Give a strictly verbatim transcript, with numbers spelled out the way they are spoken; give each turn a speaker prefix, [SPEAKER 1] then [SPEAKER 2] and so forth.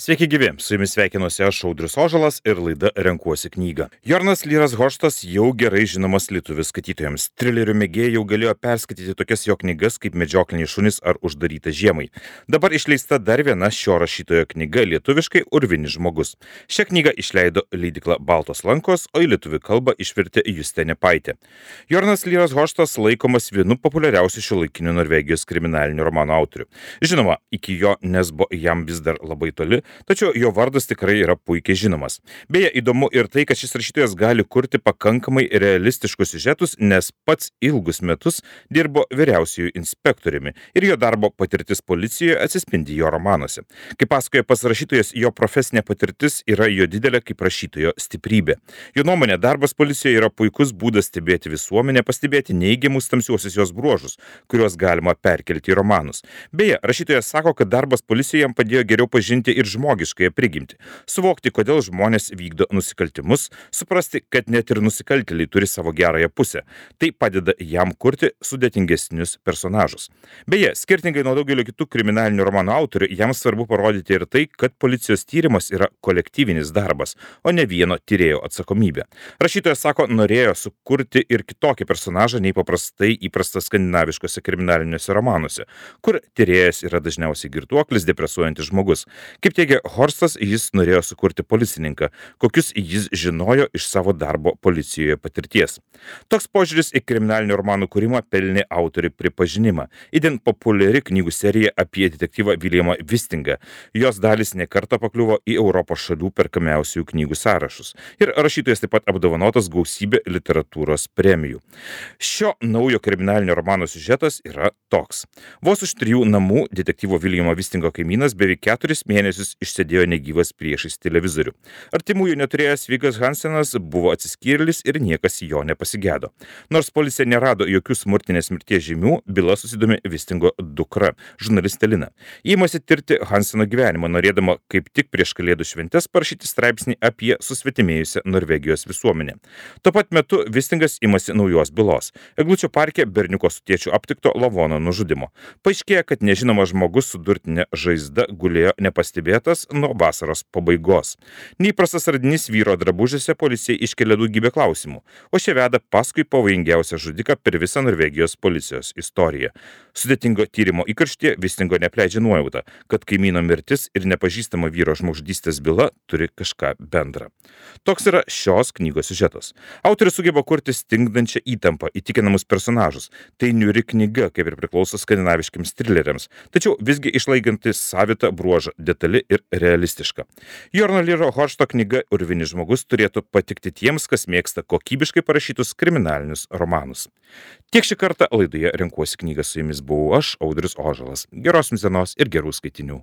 [SPEAKER 1] Sveiki gyvi, su jumis sveikinuosi aš Audrius Ožalas ir laida Renkuosi knygą. Jornas Lyras Hoštas jau gerai žinomas lietuvių skaitytojams. Trilerių mėgėjai jau galėjo perskaityti tokias jo knygas kaip Medžiokliniai šunys ar Uždaryta žiemai. Dabar išleista dar viena šio rašytojo knyga lietuviškai Urvinis žmogus. Šią knygą išleido leidykla Baltos lankos, o į lietuvių kalbą išvertė Justė Nepaitė. Jornas Lyras Hoštas laikomas vienu populiariausių šiuolaikinių Norvegijos kriminalinių romanų autorių. Žinoma, iki jo Nesbo jam vis dar labai toli, tačiau jo vardas tikrai yra puikiai žinomas. Beje, įdomu ir tai, kad šis rašytojas gali kurti pakankamai realistiškus siužetus, nes pats ilgus metus dirbo vyriausiųjų inspektoriumi ir jo darbo patirtis policijoje atsispindi jo romanuose. Kaip pasakoja pats rašytojas, jo profesinė patirtis yra jo didelė kaip rašytojo stiprybė. Jo nuomonė, darbas policijoje yra puikus būdas stebėti visuomenę, pastebėti neigiamus tamsiuosius jos bruožus, kuriuos galima perkelti į romanus. Beje, rašytojas sako, kad darbas policijoje jam padėjo geriau pažinti ir žmogiškąją prigimtį, suvokti, kodėl žmonės vykdo nusikaltimus, suprasti, kad net ir nusikaltėliai turi savo gerąją pusę. Tai padeda jam kurti sudėtingesnius personažus. Beje, skirtingai nuo daugelio kitų kriminalinių romanų autorių, jam svarbu parodyti ir tai, kad policijos tyrimas yra kolektyvinis darbas, o ne vieno tyrėjo atsakomybė. Rašytojas sako, norėjo sukurti ir kitokį personažą nei paprastai įprastas skandinaviškose kriminaliniuose romanuose, kur tyrėjas yra dažniausiai girtuoklis, depresuojantis žmogus. Kaip teigia Horstas, jis norėjo sukurti policininką, kokius jis žinojo iš savo darbo policijoje patirties. Toks požiūris į kriminalinių romanų kūrimą pelnė autorių pripažinimą. Itin populiari knygų serija apie detektyvą Viljamą Vistingą. Jos dalys nekartą pakliuvo į Europos šalių perkamiausių knygų sąrašus. Ir rašytojas taip pat apdovanotas gausybė literatūros premijų. Šio naujo kriminalinio romano siužetas yra toks. Vos už trijų namų detektyvo Viljamo Vistingo kaimynas beveik keturis mėnesius išsėdėjo negyvas priešais televizorių. Artimųjų neturėjęs Vigas Hansenas buvo atsiskyrėlis ir niekas jo nepasigedo. Nors policija nerado jokių smurtinės mirties žymių, byla susidomė Vistingo dukra, žurnalistė Lina. Įmasi tirti Hanseno gyvenimą, norėdama kaip tik prieš kalėdų šventes parašyti straipsnį apie susvetimėjusią Norvegijos visuomenę. Tuo pat metu Vistingas imasi naujos bylos. Eglučių parke berniuko su tėčiu aptikto lavono nužudimo. Paaiškėja, kad nežinomas žmogus su durtinė žaizda gulėjo nepastebėtas nuo vasaros pabaigos. Neįprastas radinys vyro drabužiuose policijai iškelia daugybę klausimų, o šie veda paskui pavojingiausią žudiką per visą Norvegijos policijos istoriją. Sudėtingo tyrimo įkarštyje Vistingo neapleidžia nuojauta, kad kaimyno mirtis ir nepažįstama vyro žmogžudystės byla turi kažką bendrą. Toks yra šios knygos siužetas. Autorius sugeba kurti stingdančią įtampą, įtikinamus personažus. Tai niūri knyga, kaip ir priklauso skandinaviškiams trileriams, tačiau visgi išlaikanti savitą bruožą, detali ir realistiška. Jorno Lyro Hošto knyga Urvinis žmogus turėtų patikti tiems, kas mėgsta kokybiškai parašytus kriminalinius romanus. Tiek šį kartą laidoje Renkuosi knygą, su jumis buvau aš, Audrius Ožalas. Geros jums dienos ir gerų skaitinių.